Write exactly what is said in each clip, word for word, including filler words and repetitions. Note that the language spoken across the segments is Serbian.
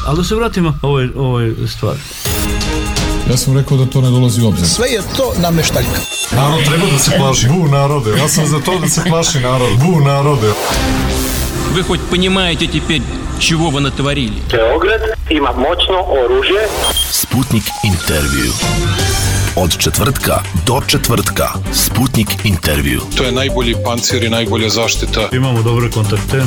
Ali da se vratimo ovoj, ovoj stvari. Ja sam rekao da to ne dolazi u obzir. Sve je to nameštaljka. Narod treba da se plaši. Bu narode. Ja sam za to da se plaši narod. Bu narode. Вы хоть понимаете теперь, чего вы натворили? Beograd ima moćno oružje. Sputnik intervju. Od četvrtka do četvrtka. Sputnik intervju. To je najbolji pancir i najbolja zaštita. Imamo dobre kontakte.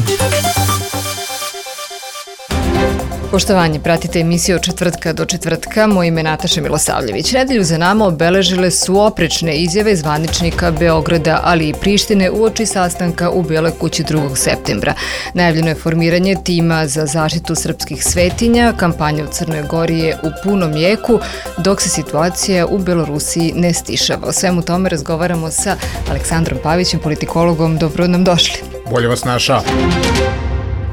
Poštovanje, pratite emisiju od četvrtka do četvrtka. Moje ime je Nataša Milosavljević. Nedelju za nama obeležile su oprečne izjave zvaničnika Beograda, ali i Prištine uoči sastanka u Beloj kući drugog septembra. Najavljeno je formiranje tima za zaštitu srpskih svetinja, kampanja u Crnoj Gori je u punom jeku, dok se situacija u Belorusiji ne stišava. O svemu tome razgovaramo sa Aleksandrom Pavićem, politikologom. Dobro nam došli. Bolje vas našao.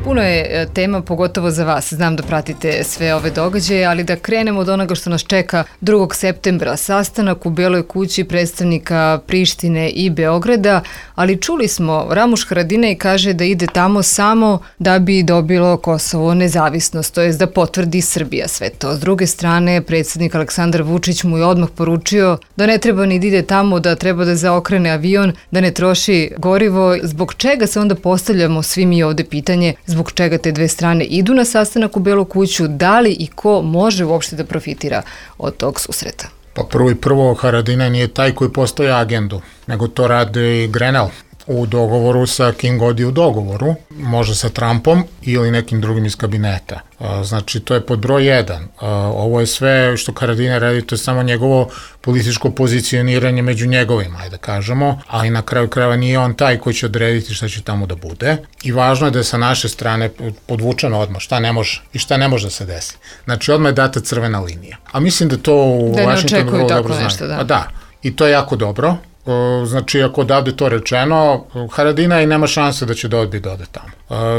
Puno je tema, pogotovo za vas. Znam da pratite sve ove događaje, ali da krenemo od onoga što nas čeka drugog septembra. Sastanak u Beloj kući predstavnika Prištine i Beograda, ali čuli smo, Ramuš Haradinaj kaže da ide tamo samo da bi dobilo Kosovo nezavisnost, to je da potvrdi Srbija sve to. S druge strane, predsjednik Aleksandar Vučić mu je odmah poručio da ne treba ni da ide tamo, da treba da zaokrene avion, da ne troši gorivo. Zbog čega se onda postavljamo svi mi ovde pitanje, zbog čega te dve strane idu na sastanak u Belu kuću, da li i ko može uopšte da profitira od tog susreta? Pa prvo i prvo, Haradinaj nije taj koji postavlja agendu, nego to radi Grenell u dogovoru sa Kim God je u dogovoru, može sa Trumpom ili nekim drugim iz kabineta. Znači, to je pod broj jedan. Ovo je sve što Haradinaj radi, to je samo njegovo političko pozicioniranje među njegovima, ajde da kažemo, ali na kraju krajeva nije on taj koji će odrediti šta će tamo da bude. I važno je da je sa naše strane podvučeno odmah šta ne može i šta ne može da se desi. Znači, odmah je data crvena linija. A mislim da to u da Vašingtonu vrlo dobro znaju. Nešto, da. Pa da, i to je jako dobro. Znači, ako odavde to rečeno, Haradinaj nema šanse da će da odbije da ode tamo.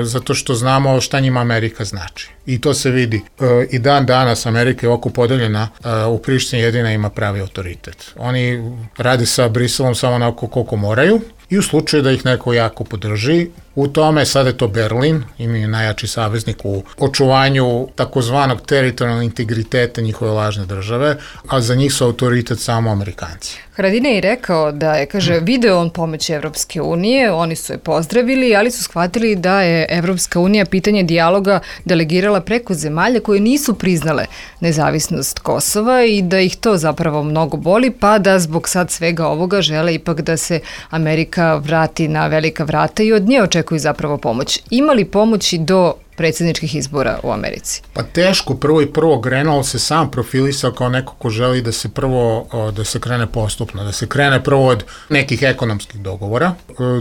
Zato što znamo šta njima Amerika znači. I to se vidi. I dan danas Amerika je oko podeljena, u Prištini jedina ima pravi autoritet. Oni rade sa Briselom samo onako koliko moraju i u slučaju da ih neko jako podrži, u tome sada je to Berlin, im je najjači saveznik u očuvanju takozvanog teritorijalnog integriteta njihove lažne države, a za njih su autoritet samo Amerikanci. Haradinaj je rekao da je, kaže, video on pomoć Evropske unije, oni su je pozdravili, ali su shvatili da je Evropska unija pitanje dijaloga delegirala preko zemalja koje nisu priznale nezavisnost Kosova i da ih to zapravo mnogo boli, pa da zbog sad svega ovoga žele ipak da se Amerika vrati na velika vrata i od nje očekuju zapravo pomoć. Ima li pomoći do predsjedničkih izbora u Americi? Pa teško, prvo i prvo Grenell se sam profilisao kao neko ko želi da se prvo, da se krene postupno, da se krene prvo od nekih ekonomskih dogovora.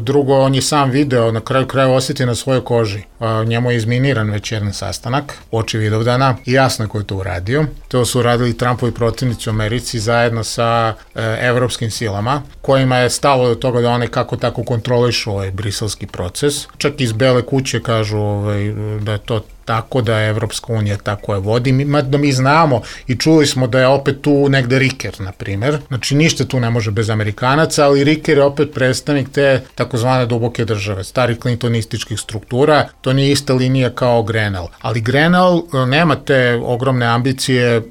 Drugo, on je sam video, na kraju kraja osjeti na svojoj koži. Njemu je izminiran već jedan sastanak, oči Vidovdana, i jasno je ko je to uradio. To su uradili Trumpovi protivnici u Americi zajedno sa e, evropskim silama, kojima je stalo do toga da one kako tako kontrolišu ovaj briselski proces. Čak iz Bele kuće kažu ovaj, da je to tako, da je Evropska unija tako je vodi, da mi znamo i čuli smo da je opet tu negde Riker, na primer. Znači, ništa tu ne može bez Amerikanaca, ali Riker je opet predstavnik te takozvane duboke države, starih klintonističkih struktura, to nije ista linija kao Grenell. Ali Grenell nema te ogromne ambicije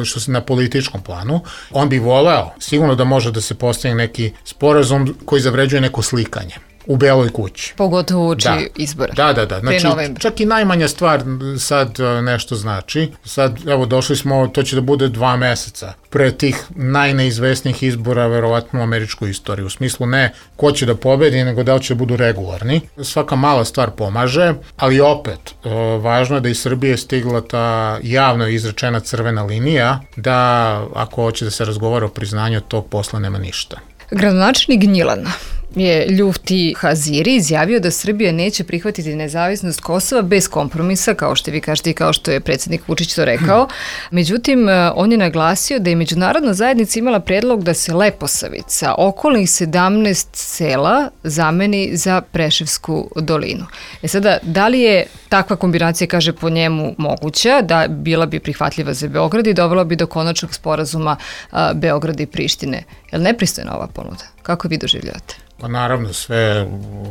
što se na političkom planu. On bi voleo, sigurno da može da se postavi neki sporazum koji zavređuje neko slikanje u Beloj kući. Pogotovo uči da. izbora. Da, da, da. Znači, čak i najmanja stvar sad nešto znači. Sad, evo, došli smo, to će da bude dva meseca pre tih najneizvesnijih izbora verovatno u američkoj istoriji. U smislu ne ko će da pobedi, nego da li će da budu regularni. Svaka mala stvar pomaže, ali opet, važno je da iz Srbije stigla ta javno izrečena crvena linija, da ako hoće da se razgovara o priznanju, od tog posla nema ništa. Gradonačelnik Gnjilana je Ljufti Haziri izjavio da Srbija neće prihvatiti nezavisnost Kosova bez kompromisa, kao što vi kažete i kao što je predsjednik Vučić to rekao. Međutim, on je naglasio da je međunarodna zajednica imala predlog da se Leposavica, okolnih sedamnaest sela, zameni za Preševsku dolinu. E sada, da li je takva kombinacija, kaže po njemu, moguća, da bila bi prihvatljiva za Beograd i dovela bi do konačnog sporazuma a, Beograda i Prištine? Je li nepristojna ova ponuda? Kako vi doživljavate? Pa naravno, sve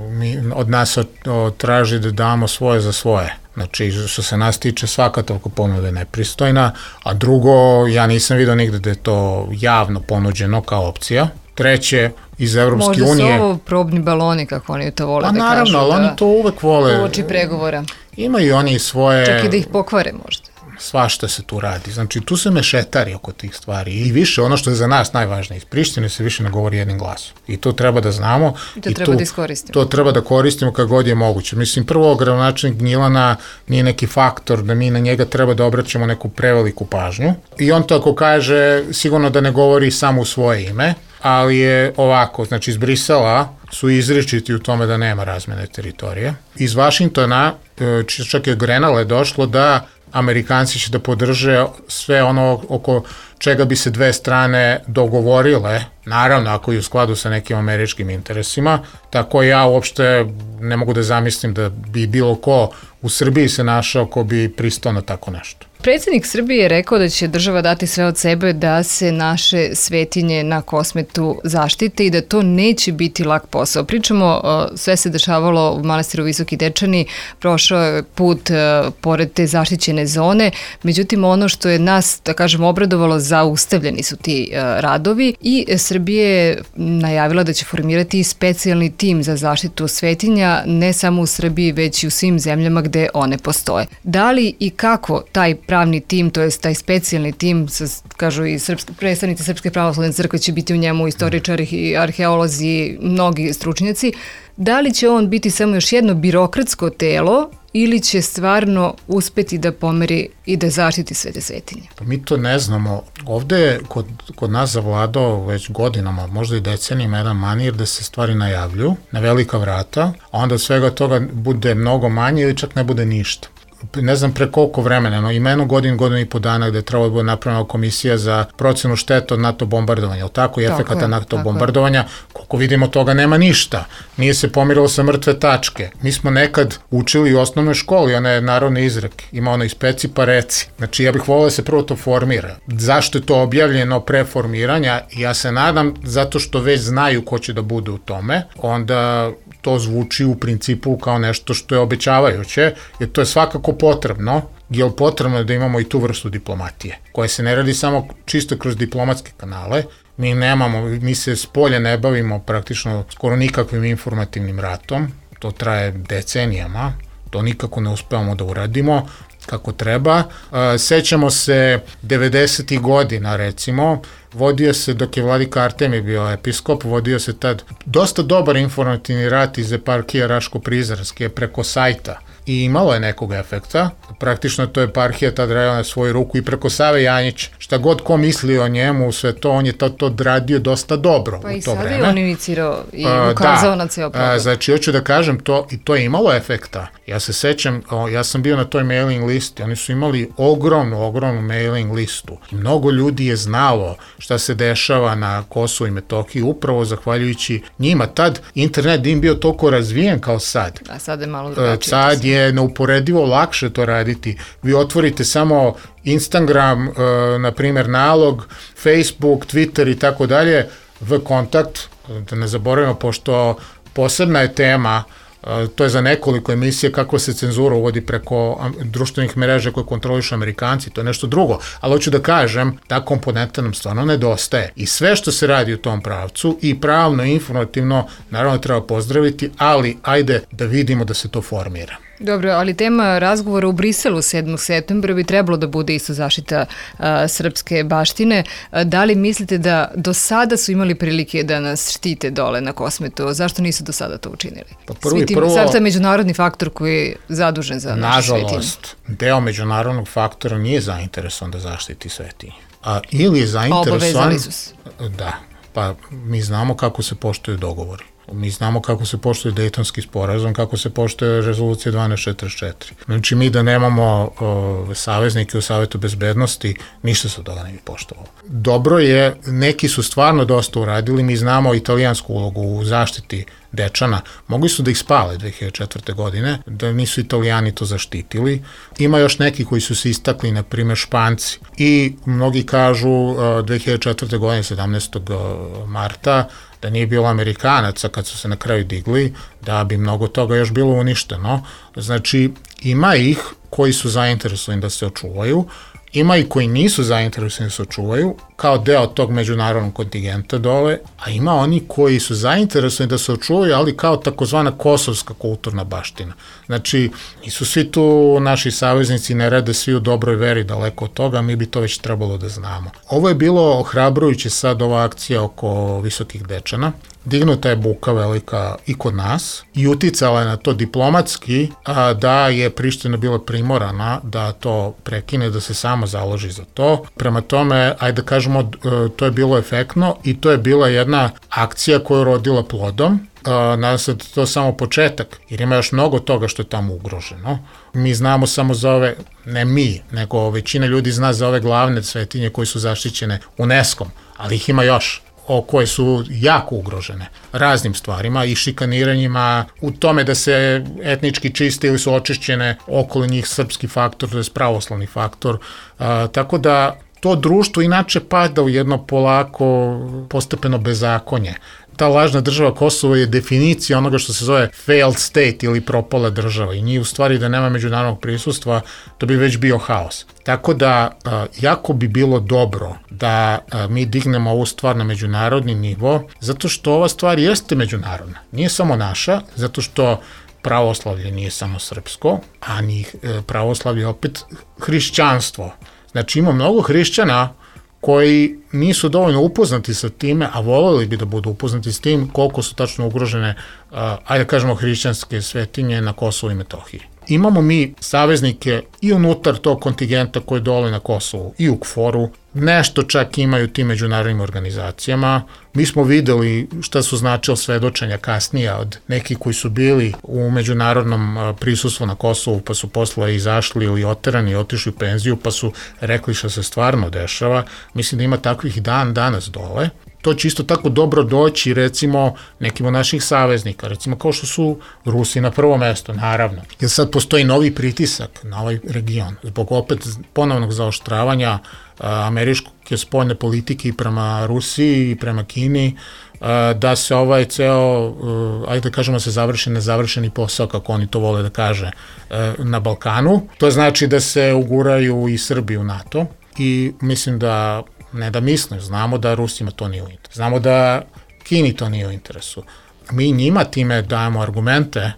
mi, od nas traži da damo svoje za svoje. Znači, što se nas tiče, svaka toliko ponuda je nepristojna, a drugo, ja nisam vidio nigde da je to javno ponuđeno kao opcija. Treće, iz Evropske Možda unije... Možda su ovo probni baloni, kako oni to vole pa, da naravno, kažu. Pa naravno, ali oni to uvek vole. Uoči pregovora. Imaju oni svoje... Čak i da ih pokvare možda. Svašta se tu radi. Znači, tu se mešetari oko tih stvari. I više, ono što je za nas najvažnije, iz Prištine se više ne govori jednim glasom. I to treba da znamo. I to I treba tu, da iskoristimo. To treba da koristimo kad god je moguće. Mislim, prvo, gradonačelnik Gnjilana nije neki faktor da mi na njega treba da obraćamo neku preveliku pažnju. I on to ako kaže, sigurno da ne govori samo u svoje ime, ali je ovako, znači iz Brisela su izričiti u tome da nema razmene teritorije. Iz Vašingtona, čak je Grenale došlo da Amerikanci će da podrže sve ono oko čega bi se dve strane dogovorile, naravno ako je u skladu sa nekim američkim interesima, tako ja uopšte ne mogu da zamislim da bi bilo ko u Srbiji se našao ko bi pristao na tako nešto. Predsjednik Srbije je rekao da će država dati sve od sebe da se naše svetinje na Kosmetu zaštite i da to neće biti lak posao. Pričamo, sve se dešavalo u manastiru Visoki Dečani, prošao je put pored te zaštićene zone, međutim ono što je nas, da kažem, obradovalo, zaustavljeni su ti radovi i Srbije je najavila da će formirati specijalni tim za zaštitu svetinja, ne samo u Srbiji, već i u svim zemljama gde one postoje. Da li i kako taj pravni tim, to jest taj specijalni tim, kažu i srpski, predstavnici Srpske pravoslavne crkve će biti u njemu, istoričari i arheolozi, mnogi stručnjaci, da li će on biti samo još jedno birokratsko telo ili će stvarno uspeti da pomeri i da zaštiti sve te svetinje? Pa mi to ne znamo. Ovde je kod, kod nas zavladao već godinama, možda i decenijima, jedan manir da se stvari najavljuju na velika vrata, a onda od svega toga bude mnogo manje ili čak ne bude ništa. Ne znam pre koliko vremena, no imeno godin, godin i po dana gde je trebalo da bude napravljena komisija za procenu šteta od NATO bombardovanja, ali tako i efekata NATO bombardovanja, koliko vidimo toga nema ništa. Nije se pomirilo sa mrtve tačke. Mi smo nekad učili u osnovnoj školi, one narodne izreke, ima ono ispeci pa reci. Znači ja bih volio da se prvo to formira. Zašto je to objavljeno pre formiranja? Ja se nadam zato što već znaju ko će da bude u tome, onda to zvuči u principu kao nešto što je obećavajuće, jer to je svakako potrebno, jer potrebno je da imamo i tu vrstu diplomatije, koja se ne radi samo čisto kroz diplomatske kanale. Mi nemamo, mi se s polja ne bavimo praktično skoro nikakvim informativnim ratom, to traje decenijama, to nikako ne uspevamo da uradimo kako treba. Sećamo se devedesetih godina, recimo, vodio se, dok je vladika Artemij bio episkop, vodio se tad dosta dobar informativni rat iz eparhije Raško-Prizrenske preko sajta i imalo je nekog efekta. Praktično to eparhija tad radila na svoju ruku i preko Save Janjića. Šta god ko misli o njemu, sve to, on je to, to radio dosta dobro pa u to vreme. Pa i sada je on inicirao i ukazao da, na ceo problem. Znači, hoću da kažem to, i to je imalo efekta. Ja se sećam, o, ja sam bio na toj mailing listi, oni su imali ogromnu, ogromnu mailing listu. I mnogo ljudi je znalo šta se dešava na Kosovu i Metohiji, upravo zahvaljujući njima. Tad internet im bio toliko razvijen kao sad. A sad je malo drugačije. Sad je neuporedivo lakše to raditi. Vi otvorite samo Instagram, na primjer nalog, Facebook, Twitter i tako dalje, v kontakt, da ne zaboravimo, pošto posebna je tema, to je za nekoliko emisije kako se cenzura uvodi preko društvenih mreža koje kontrolišu Amerikanci, to je nešto drugo, ali hoću da kažem, ta komponenta nam stvarno nedostaje i sve što se radi u tom pravcu i pravno i informativno naravno treba pozdraviti, ali ajde da vidimo da se to formira. Dobro, ali tema razgovora u Briselu sedmog septembra bi trebalo da bude isto zaštita a, srpske baštine. A, da li mislite da do sada su imali prilike da nas štite dole na Kosmetu? Zašto nisu do sada to učinili? Pa prvo i prvo... Sad to je međunarodni faktor koji je zadužen za naše svetinje. Nažalost, deo međunarodnog faktora nije zainteresovan da zaštiti svetinje. A, ili je zainteresovan... Obavezali su se. Da, pa mi znamo kako se poštuju dogovori. Mi znamo kako se poštuje Dejtonski sporazum, kako se poštuje rezolucija dvanaest četrdeset četiri. Znači mi da nemamo o, saveznike u Savetu bezbednosti, ništa se od toga ne bi poštovalo. Dobro je, neki su stvarno dosta uradili, mi znamo italijansku ulogu u zaštiti Dečana, mogli su da ih spale dve hiljade četvrte. godine, da nisu Italijani to zaštitili. Ima još neki koji su se istakli, na primjer Španci. I mnogi kažu dve hiljade četvrte. godine, sedamnaestog marta, da nije bilo Amerikanaca kad su se na kraju digli, da bi mnogo toga još bilo uništeno. Znači, Ima ih koji su zainteresovani da se očuvaju, ima i koji nisu zainteresovani da se očuvaju kao deo tog međunarodnog kontingenta dole, a ima oni koji su zainteresovani da se očuvaju, ali kao takozvana kosovska kulturna baština. Znači, nisu svi tu naši saveznici, ne rade svi u dobroj veri, daleko od toga, mi bi to već trebalo da znamo. Ovo je bilo ohrabrujuće sad, ova akcija oko Visokih Dečana. Dignuta je buka velika i kod nas i uticala je na to diplomatski, a, da je Priština bila primorana da to prekine, da se samo založi za to. Prema tome, ajde da kažemo, to je bilo efektno i to je bila jedna akcija koja je rodila plodom. Nadam se da to je samo početak, jer ima još mnogo toga što je tamo ugroženo. Mi znamo samo za ove, ne mi, nego većina ljudi zna za ove glavne svetinje koje su zaštićene UNESCO-om, ali ih ima još, o koje su jako ugrožene raznim stvarima i šikaniranjima, u tome da se etnički čiste ili su očišćene okolo njih srpski faktor, to je pravoslavni faktor, a, tako da to društvo inače pada u jedno polako postepeno bezakonje. Ta lažna država Kosovo je definicija onoga što se zove failed state ili propala država i njih u stvari da nema međunarodnog prisustva, to bi već bio haos. Tako da jako bi bilo dobro da mi dignemo ovu stvar na međunarodni nivo, zato što ova stvar jeste međunarodna, nije samo naša, zato što pravoslavlje nije samo srpsko, a ni pravoslavlje opet hrišćanstvo. Znači ima mnogo hrišćana koji nisu dovoljno upoznati sa time, a voljeli bi da budu upoznati s tim koliko su tačno ugrožene, uh, ajde da kažemo, hrišćanske svetinje na Kosovu i Metohiji. Imamo mi saveznike i unutar tog kontingenta koji dole na Kosovu i u KFOR-u, nešto čak imaju tim međunarodnim organizacijama. Mi smo videli šta su značilo svedočenja kasnije od nekih koji su bili u međunarodnom prisustvu na Kosovu, pa su posle izašli ili oterani i otišli u penziju, pa su rekli šta se stvarno dešava. Mislim da ima takvih dan danas dole. To će isto tako dobro doći, recimo, nekim od naših saveznika, recimo kao što su Rusi na prvo mesto, naravno. Jer sad postoji novi pritisak na ovaj region, zbog opet ponovnog zaoštravanja američke spoljne politike i prema Rusiji i prema Kini, da se ovaj ceo, ajde da kažemo, se završi nezavršeni posao, kako oni to vole da kaže, na Balkanu. To znači da se uguraju i Srbi u NATO i mislim da ne da mislim, znamo da Rusima to nije u interesu. Znamo da Kini to nije u interesu. Mi njima time dajemo argumente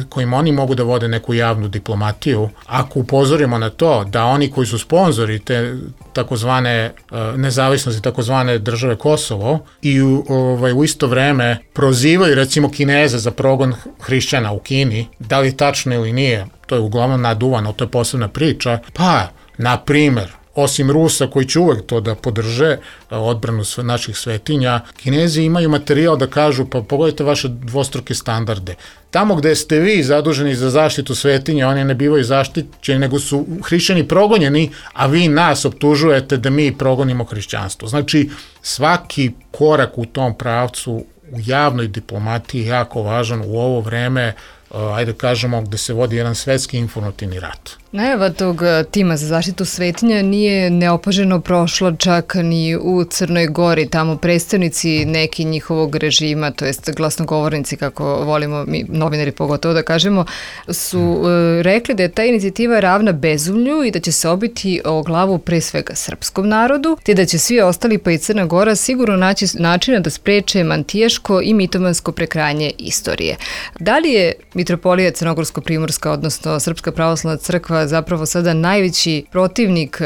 kojim oni mogu da vode neku javnu diplomatiju. Ako upozorimo na to da oni koji su sponzori te takozvane nezavisnosti, takozvane države Kosovo i ovaj, u isto vreme prozivaju recimo Kineze za progon hrišćana u Kini, da li tačno ili nije, to je uglavnom naduvano, to je posebna priča, pa, na primer, osim Rusa koji će uvek to da podrže, odbranu naših svetinja, Kinezi imaju materijal da kažu, pa pogledajte vaše dvostruke standarde. Tamo gde ste vi zaduženi za zaštitu svetinja, oni ne bivaju zaštićeni, nego su hrišćani progonjeni, a vi nas optužujete da mi progonimo hrišćanstvo. Znači, svaki korak u tom pravcu u javnoj diplomatiji je jako važan u ovo vreme, ajde kažemo, gde se vodi jedan svetski informativni rat. Najava tog tima za zaštitu svetinja nije neopaženo prošla čak ni u Crnoj Gori. Tamo predstavnici neki njihovog režima, to jest glasnogovornici, kako volimo mi novinari pogotovo da kažemo, su hmm. rekli da je ta inicijativa ravna bezumlju i da će se obiti o glavu pre svega srpskom narodu, te da će svi ostali pa i Crna Gora sigurno naći načina da spreče mantijaško i mitomansko prekrajanje istorije. Da li je Mitropolija Crnogorsko-Primorska, odnosno Srpska pravoslavna crkva, zapravo sada najveći protivnik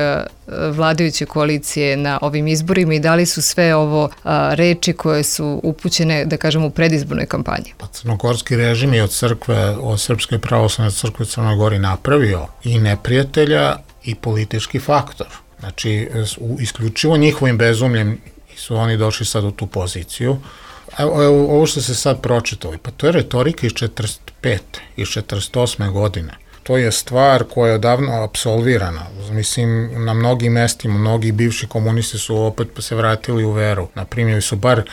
vladajuće koalicije na ovim izborima i da li su sve ovo a, reči koje su upućene, da kažemo, u predizbornoj kampanji? Pa crnogorski režim je od crkve, od Srpske pravoslavne crkve Crnoj Gori napravio i neprijatelja i politički faktor. Znači, isključivo njihovim bezumljem su oni došli sad u tu poziciju. Evo, evo, ovo što se sad pročitali, pa to je retorika iz četrdeset pete, iz četrdeset osme godine. To je stvar koja je odavno apsolvirana. Mislim, na mnogim mestima, mnogi bivši komunisti su opet se vratili u veru. Na primjer, su bar, e,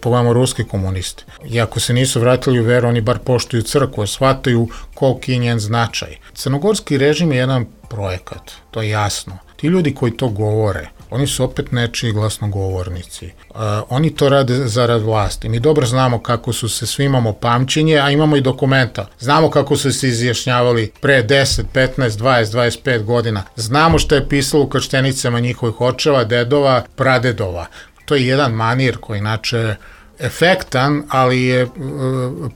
pogledamo, ruski komunisti. I ako se nisu vratili u veru, oni bar poštuju crkvu, shvataju koliki je njen značaj. Crnogorski režim je jedan projekat, to je jasno. Ti ljudi koji to govore, oni su opet nečiji glasnogovornici. Uh, oni to rade zarad vlasti. Mi dobro znamo kako su se, svi imamo pamćenje, a imamo i dokumenta. Znamo kako su se izjašnjavali pre deset, petnaest, dvadeset, dvadeset pet godina. Znamo što je pisalo u krštenicama njihovih očeva, dedova, pradedova. To je jedan manir koji inače efektan, ali je uh,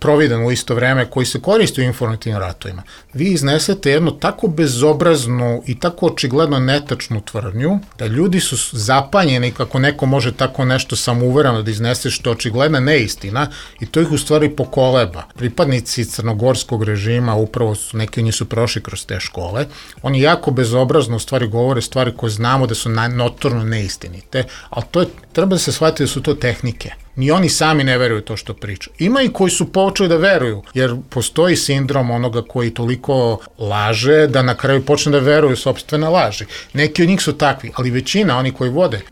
providan u isto vreme, koji se koristi u informativnim ratovima. Vi iznesete jednu tako bezobraznu i tako očigledno netačnu tvrdnju, da ljudi su zapanjeni kako neko može tako nešto samouvereno da iznese, što je očigledna neistina, i to ih u stvari pokoleba. Pripadnici crnogorskog režima, upravo su, neki od njih su prošli kroz te škole, oni jako bezobrazno u stvari govore stvari koje znamo da su notorno neistinite, ali to je, treba da se shvati da su to tehnike. Ni oni sami ne veruju to što priča. Ima i koji su počeli da veruju, jer postoji sindrom onoga koji toliko laže da na kraju počne da veruju sopstvene laži. Neki od njih su takvi, ali većina, oni koji vode e,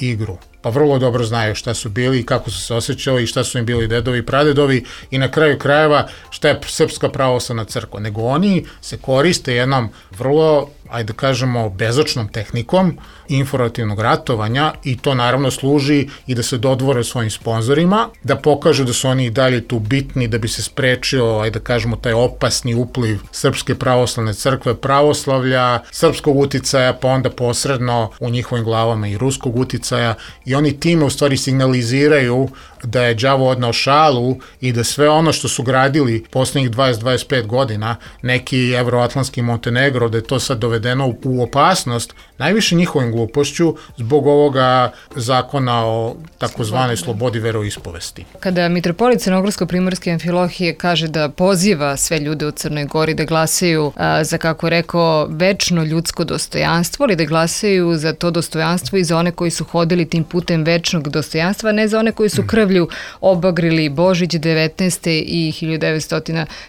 igru, pa vrlo dobro znaju šta su bili i kako su se osjećali i šta su im bili dedovi i pradedovi i na kraju krajeva šta je Srpska pravoslavna crkva. Nego oni se koriste jednom vrlo, ajde da kažemo, bezočnom tehnikom informativnog ratovanja, i to naravno služi i da se dodvore svojim sponzorima, da pokažu da su oni i dalje tu bitni, da bi se sprečio, ajde da kažemo, taj opasni upliv Srpske pravoslavne crkve, pravoslavlja, srpskog uticaja, pa onda posredno u njihovim glavama i ruskog uticaja, i oni time u stvari signaliziraju da je đavo odnao šalu i da sve ono što su gradili poslednjih dvadeset do dvadeset pet godina, neki evroatlantski Montenegro, da je to sad dovedeno u opasnost, najviše njihovim glupošću zbog ovoga zakona o takozvanoj slobodi veroispovesti. Kada mitropolit Crnogorsko-primorske Amfilohije kaže da poziva sve ljude u Crnoj Gori da glasaju a, za, kako rekao, večno ljudsko dostojanstvo, ali da glasaju za to dostojanstvo i za one koji su hodili tim putem večnog dostojanstva, ne za one koji su krvlju obagrili Božić devetnaeste i hiljadu devetsto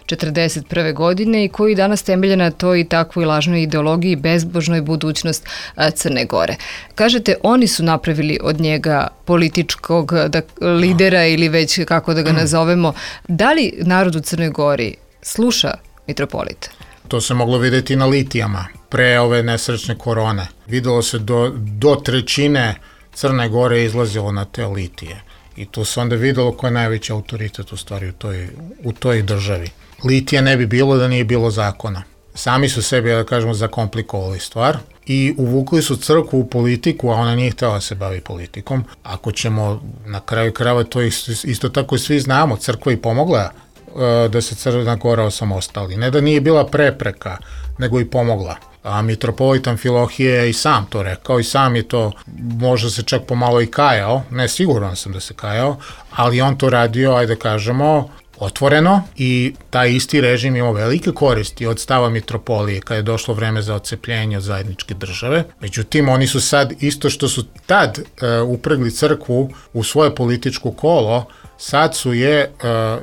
četrdeset prve. godine i koji danas temelje na toj i takvoj lažnoj ideologiji i bezbožnoj budućnost a, Crne Gore. Kažete, oni su napravili od njega političkog da, lidera ili već kako da ga nazovemo. Da li narod u Crnoj Gori sluša mitropolita? To se moglo vidjeti na litijama pre ove nesrećne korone. Videlo se do, do trećine Crne Gore izlazilo na te litije. I tu se onda videlo ko je najveći autoritet u stvari u toj, u toj državi. Litija ne bi bilo da nije bilo zakona. Sami su sebi, da kažemo, zakomplikovali stvar i uvukli su crkvu u politiku, a ona nije htjela da se bavi politikom. Ako ćemo na kraju krajeva, to isto, isto tako i svi znamo, crkva i pomogla uh, da se Crna Gora osamostali. Ne da nije bila prepreka, nego i pomogla. A mitropolit Amfilohije je i sam to rekao i sam je to, možda se čak pomalo i kajao, ne, siguran sam da se kajao, ali on to radio, ajde da kažemo, otvoreno, i taj isti režim imao velike koristi od stava mitropolije kada je došlo vreme za odcepljenje od zajedničke države. Međutim, oni su sad, isto što su tad e, upregli crkvu u svoje političko kolo, sad su je e,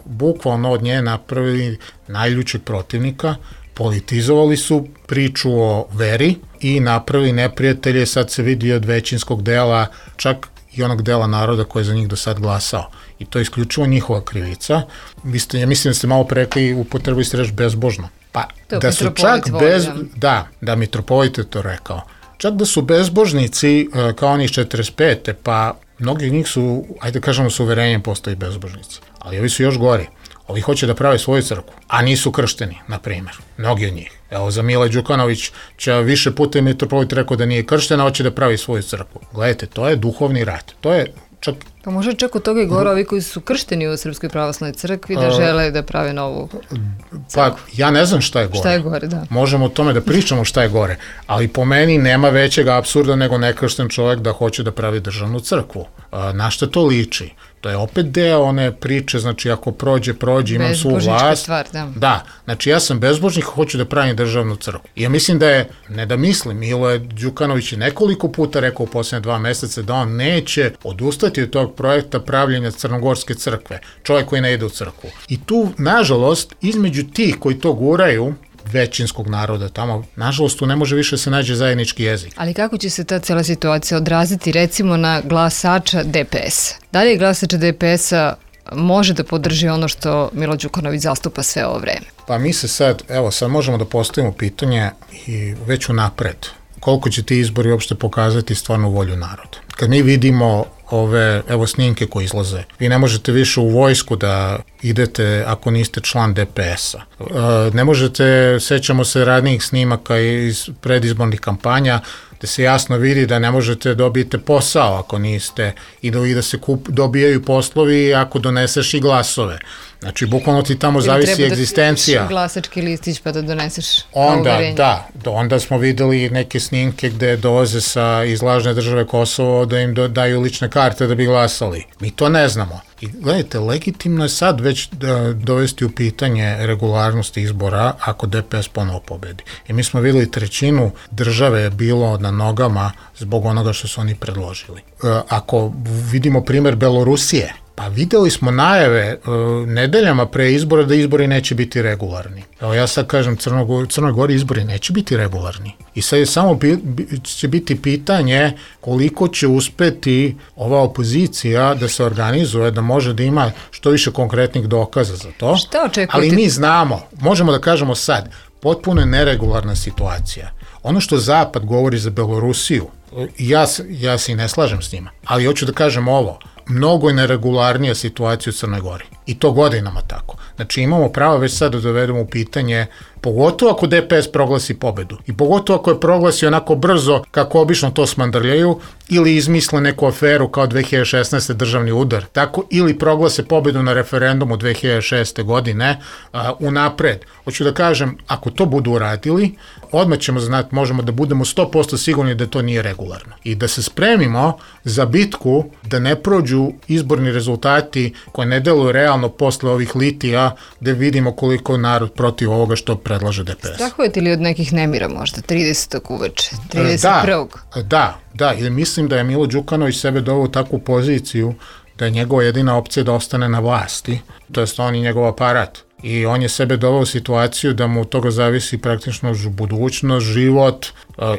bukvalno od nje napravili najljućeg protivnika, politizovali su priču o veri i napravili neprijatelje, sad se vidi od većinskog dela, čak i onog dela naroda koji je za njih do sad glasao. I to je isključivo njihova krivica. Vi ste, ja mislim da ste malo prekli, upotrebili ste reč bezbožno. Pa to da su čak bez... Da, da, mitropolit je to rekao. Čak da su bezbožnici, kao oni iz četrdeset pete, pa mnogi njih su, ajde kažemo, s uverenjem postali bezbožnici. Ali ovi su još gori. Ovi hoće da prave svoju crkvu, a nisu kršteni, na primjer. Mnogi od njih. Evo, za Mila Đukanović će više puta mitropolit rekao da nije kršten, a hoće da pravi svoju crkvu. Gledajte, to je duhovni rat. To je čak... Pa može čak od toga i gore ovi koji su kršteni u Srpskoj pravoslavnoj crkvi da žele da prave novu crkvu. Pa ja ne znam šta je gore. Šta je gore, da. Možemo o tome da pričamo šta je gore, ali po meni nema većeg apsurda nego nekršten čovjek da hoće da pravi državnu crkvu. Na šta to liči? To je opet deo one priče, znači ako prođe, prođe, imam svu vlast. Stvar, da. Da, znači ja sam bezbožnik, hoću da pravim državnu crkvu. I ja mislim da je, ne da mislim, Milo je Đukanović je nekoliko puta rekao u posljednje dva meseca da on neće odustati od tog projekta pravljenja Crnogorske crkve. Čovjek koji ne ide u crkvu. I tu, nažalost, između tih koji to guraju, većinskog naroda tamo, nažalost tu ne može više se nađe zajednički jezik. Ali kako će se ta cela situacija odraziti recimo na glasača D P S? Da li glasač D P S-a može da podrži ono što Milo Đukanović zastupa sve ovo vreme? Pa mi se sad, evo sad možemo da postavimo pitanje i već unapred. koliko će ti izbori uopšte pokazati stvarnu volju naroda. Kad mi vidimo ove, evo snimke koje izlaze, vi ne možete više u vojsku da idete ako niste član D P S-a. E, ne možete, sećamo se radnijih snimaka iz predizbornih kampanja, gde se jasno vidi da ne možete dobiti posao ako niste i da, i da se kup, dobijaju poslovi ako doneseš i glasove. Znači, bukvalno ti tamo ili zavisi egzistencija. Treba da glasački listić pa da doneseš onda, uverenje. Da, onda smo videli neke snimke gde dolaze sa iz lažne države Kosovo da im do, daju lične karte da bi glasali. Mi to ne znamo. I gledajte, legitimno je sad već da, dovesti u pitanje regularnosti izbora ako D P S ponovo pobedi. I mi smo videli trećinu države je bilo na nogama zbog onoga što su oni predložili. E, ako vidimo primer Belorusije, pa videli smo najave uh, nedeljama pre izbora da izbori neće biti regularni. Evo ja sad kažem, Crnogor, Crnoj Gori izbori neće biti regularni. I sad je samo bi, bi, će biti pitanje koliko će uspeti ova opozicija da se organizuje, da može da ima što više konkretnih dokaza za to. Šta očekujete? Ali mi znamo, možemo da kažemo sad, potpuno je neregularna situacija. Ono što Zapad govori za Belorusiju, ja, ja se i ne slažem s njima, ali hoću da kažem ovo, mnogo je neregularnija situacija u Crnoj Gori. I to godinama tako. Znači imamo pravo već sad da dovedemo u pitanje, pogotovo ako D P S proglasi pobedu i pogotovo ako je proglasi onako brzo kako obično to smandrljaju ili izmisle neku aferu kao dve hiljade šesnaeste državni udar, tako ili proglase pobedu na referendumu dve hiljade šeste godine a, unapred. Hoću da kažem, ako to budu uradili, odmah ćemo znati, možemo da budemo sto posto sigurni da to nije regularno. I da se spremimo za bitku da ne prođu izborni rezultati koje ne deluju realno posle ovih litija gde vidimo koliko narod protiv ovoga što predlaže D P S. Strahujete li od nekih nemira možda, tridesetog uveče, trideset prvog Da, da, da, ili mislim da je Milo Đukanović sebe doveo u takvu poziciju da je njegova jedina opcija da ostane na vlasti, to jest on i njegov aparat. I on je sebe doveo u situaciju da mu od toga zavisi praktično budućnost, život,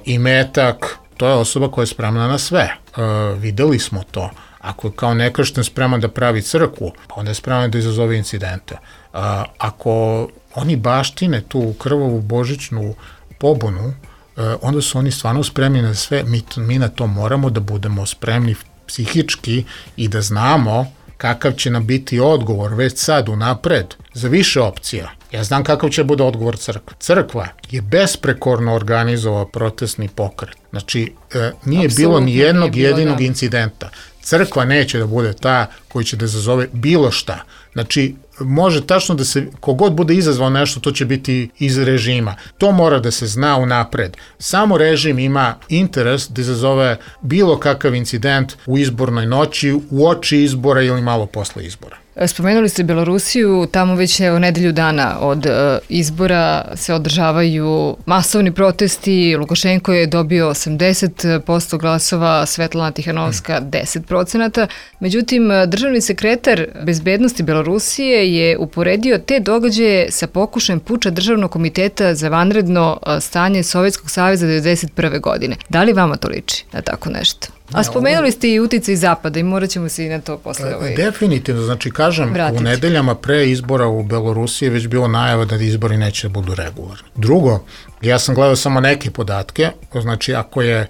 imetak. To je osoba koja je spremna na sve. E, videli smo to. Ako je kao nekršten spreman da pravi crkvu, pa onda je spreman da izazove incidente. E, ako oni baštine tu krvavu božićnu pobunu, e, onda su oni stvarno spremni na sve. Mi, mi na to moramo da budemo spremni psihički i da znamo kakav će nam biti odgovor već sad unapred za više opcija. Ja znam kakav će bude odgovor crkva. Crkva je besprekorno organizovao protestni pokret. Znači, e, nije Absolutno bilo ni jednog bilo, jedinog da. incidenta. Crkva neće da bude ta koji će da izazove bilo šta. Znači, može tačno da se, kogod bude izazvao nešto, to će biti iz režima. To mora da se zna unapred. Samo režim ima interes da izazove bilo kakav incident u izbornoj noći, u oči izbora ili malo posle izbora. Spomenuli ste Belorusiju, tamo već u nedelju dana od e, izbora se održavaju masovni protesti, Lukašenko je dobio osamdeset posto glasova, Svetlana Tihanovska deset procenata. Međutim, državni sekretar bezbednosti Belorusije je uporedio te događaje sa pokušajem puča Državnog komiteta za vanredno stanje Sovjetskog saveza devedeset prve godine. Da li vama to liči na tako nešto? A spomenuli ste i uticaj Zapada i morat ćemo se i na to posle ovaj... Definitivno, znači kažem, vratiti. U nedeljama pre izbora u Belorusiji je već bilo najava da izbori neće da budu regularni. Drugo, ja sam gledao samo neke podatke, znači ako je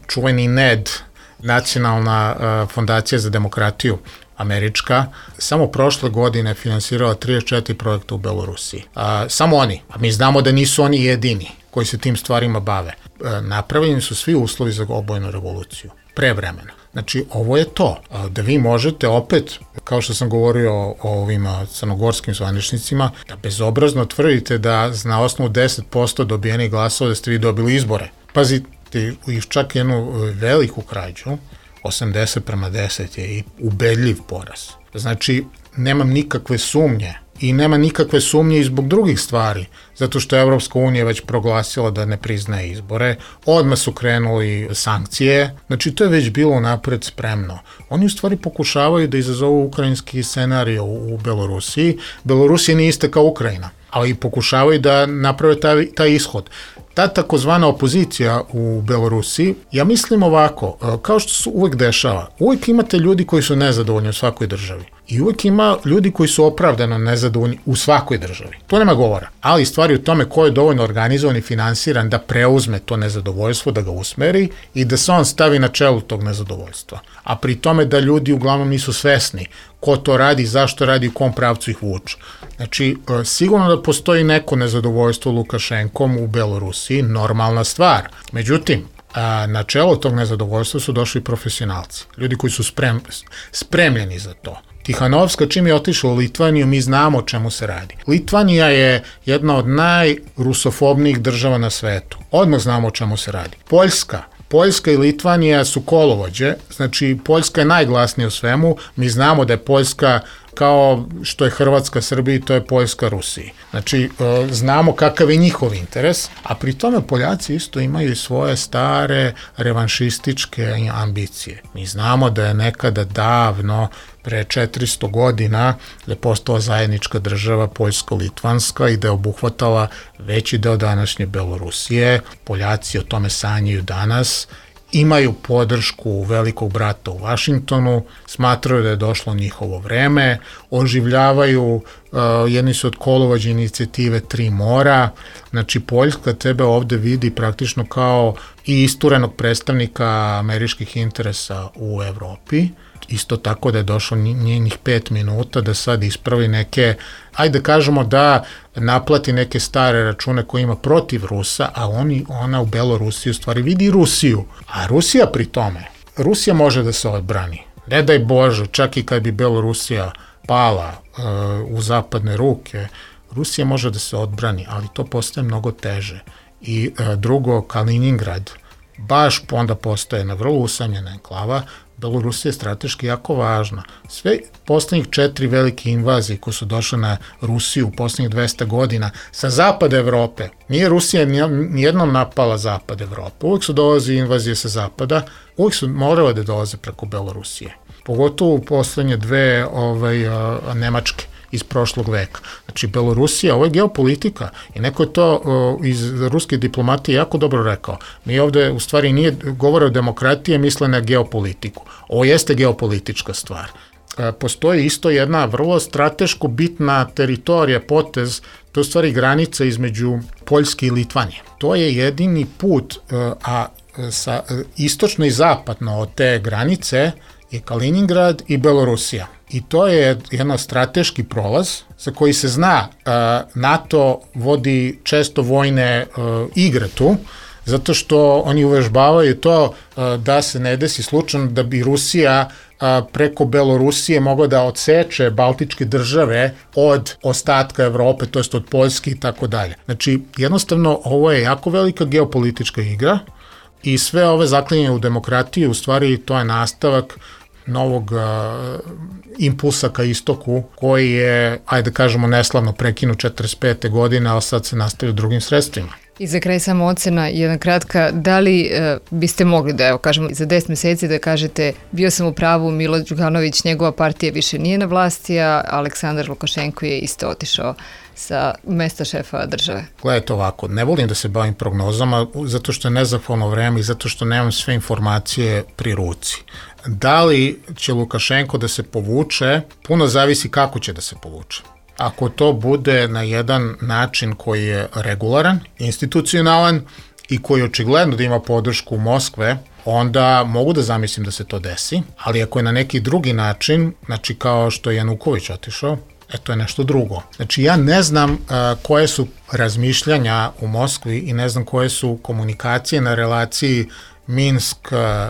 čuveni N E D, Nacionalna uh, fondacija za demokratiju, američka, samo prošle godine finansirala trideset četiri projekta u Belorusiji. A, samo oni, a mi znamo da nisu oni jedini koji se tim stvarima bave. E, napravljeni su svi uslovi za obojenu revoluciju, pre vremena. Znači, ovo je to, da vi možete opet, kao što sam govorio o, o ovim crnogorskim zvaničnicima, da bezobrazno tvrdite da na osnovu deset posto dobijenih glasova da ste vi dobili izbore. Pazite, čak jednu veliku krađu, osamdeset prema deset je i ubedljiv poraz. Znači, nemam nikakve sumnje i nema nikakve sumnje i zbog drugih stvari, zato što je Evropska unija već proglasila da ne priznaje izbore, odmah su krenuli sankcije, znači to je već bilo napred spremno. Oni u stvari pokušavaju da izazovu ukrajinski scenarij u, u Belorusiji. Belorusija nije ista kao Ukrajina, ali pokušavaju da naprave taj, taj ishod. Ta takozvana opozicija u Belorusiji, ja mislim ovako, kao što se uvek dešava, uvek imate ljudi koji su nezadovoljni u svakoj državi. I uvek ima ljudi koji su opravdano nezadovoljni u svakoj državi. To nema govora. Ali stvari u tome ko je dovoljno organizovan i finansiran da preuzme to nezadovoljstvo, da ga usmeri i da se on stavi na čelu tog nezadovoljstva. A pri tome da ljudi uglavnom nisu svesni ko to radi, zašto radi, u kom pravcu ih vuče. Znači, sigurno da postoji neko nezadovoljstvo Lukašenkom u Belorusiji, normalna stvar. Međutim, a na čelo tog nezadovoljstva su došli profesionalci, ljudi koji su sprem, spremljeni za to. Tihanovska, čim je otišla u Litvaniju, mi znamo o čemu se radi. Litvanija je jedna od najrusofobnijih država na svetu. Odmah znamo o čemu se radi. Poljska. Poljska i Litvanija su kolovođe, znači Poljska je najglasnija u svemu, mi znamo da je Poljska kao što je Hrvatska Srbiji, to je Poljska Rusiji. Znači, znamo kakav je njihov interes, a pri tome Poljaci isto imaju i svoje stare revanšističke ambicije. Mi znamo da je nekada davno, pre četiristo godina, da je postala zajednička država Poljsko-Litvanska i da je obuhvatala veći deo današnje Belorusije. Poljaci o tome sanjaju danas, imaju podršku velikog brata u Vašingtonu, smatraju da je došlo njihovo vreme, oživljavaju, uh, jedni su od kolovođa inicijative Tri mora, znači Poljska tebe ovde vidi praktično kao i isturenog predstavnika američkih interesa u Evropi, isto tako da je došlo njenih pet minuta da sad ispravi neke, ajde kažemo da naplati neke stare račune koje ima protiv Rusa, a oni, ona u Belorusiji u stvari vidi Rusiju. A Rusija pri tome, Rusija može da se odbrani. Ne daj Bože, čak i kad bi Belorusija pala uh, u zapadne ruke, Rusija može da se odbrani, ali to postaje mnogo teže. I uh, drugo, Kaliningrad, baš onda postaje na vrlo usamljena enklava. Belorusija je strateški jako važna. Sve poslednjih četiri velike invazije koje su došle na Rusiju u poslednjih dvesta godina sa zapada Evrope, nije Rusija nijednom napala zapad Evrope. Uvijek su dolazi invazije sa zapada, uvijek su morale da dolaze preko Belorusije. Pogotovo u poslednje dve ovaj, a, a, Nemačke iz prošlog veka. Znači, Belorusija, ovo je geopolitika i neko je to o, iz ruske diplomatije jako dobro rekao. Mi ovde, u stvari, nije govore o demokratiji, misle na geopolitiku. Ovo jeste geopolitička stvar. E, postoji isto jedna vrlo strateško bitna teritorija, potez, to je u stvari granica između Poljske i Litvanije. To je jedini put, e, a sa, istočno i zapadno od te granice je Kaliningrad i Belorusija. I to je jedan strateški prolaz za koji se zna, NATO vodi često vojne igre tu, zato što oni uvežbavaju to da se ne desi slučajno da bi Rusija preko Belorusije mogla da odseče baltičke države od ostatka Evrope, to jest od Poljske i tako dalje. Znači, jednostavno, ovo je jako velika geopolitička igra i sve ove zaklinje u demokratiji, u stvari to je nastavak novog uh, impulsa ka istoku, koji je, ajde kažemo, neslavno prekinut četrdeset pete godine, ali sad se nastavio drugim sredstvima. I za kraj samo ocena, jedna kratka, da li uh, biste mogli da, evo kažemo, za deset meseci da kažete bio sam u pravu, Milo Đukanović, njegova partija više nije na vlasti, a Aleksandar Lukašenko je isto otišao sa mesta šefa države? Gledajte ovako, ne volim da se bavim prognozama zato što je nezahvalno vreme i zato što nemam sve informacije pri ruci. Da li će Lukašenko da se povuče, puno zavisi kako će da se povuče. Ako to bude na jedan način koji je regularan, institucionalan i koji očigledno da ima podršku Moskve, onda mogu da zamislim da se to desi, ali ako je na neki drugi način, znači kao što je Januković otišao, e to je nešto drugo. Znači ja ne znam uh, koje su razmišljanja u Moskvi i ne znam koje su komunikacije na relaciji Minsk,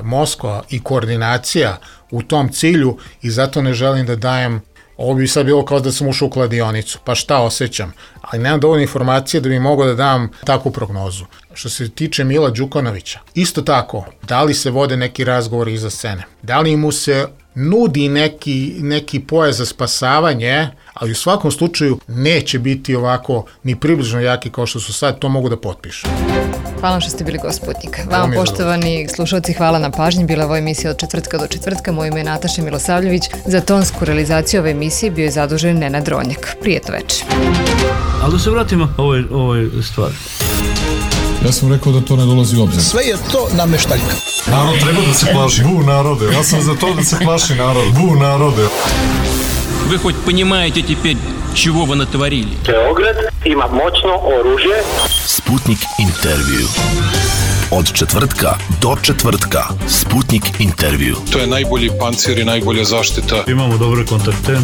Moskva i koordinacija u tom cilju i zato ne želim da dajem, ovo bi sad bilo kao da sam ušao u kladionicu, pa šta osjećam, ali nemam dovoljno informacije da bi mogao da dam takvu prognozu. Što se tiče Mila Đukanovića, isto tako, da li se vode neki razgovori iza scene, da li mu se nudi neki, neki pojas za spasavanje, ali u svakom slučaju neće biti ovako ni približno jaki kao što su sad, to mogu da potpišu. Hvala vam što ste bili gost Sputnika. Vama, poštovani slušalci, hvala na pažnji. Bila je ova emisija od četvrtka do četvrtka. Moje ime je Nataša Milosavljević. Za tonsku realizaciju ove emisije bio je zadužen Nenad Ronjak. Prijetno večer. Ali da se vratimo ovoj, ovoj stvari. Ja sam rekao da to ne dolazi u obzir. Sve je to nameštaljka. Narod treba da se plaši. Bu narode. Ja sam za to da se plaši narod. Bu narode. Вы хоть понимаете теперь, чего вы натворили? Beograd ima moćno oružje. Sputnik intervju. Od četvrtka do četvrtka. Sputnik intervju. To je najbolji pancir i najbolja zaštita. Imamo dobre kontakte.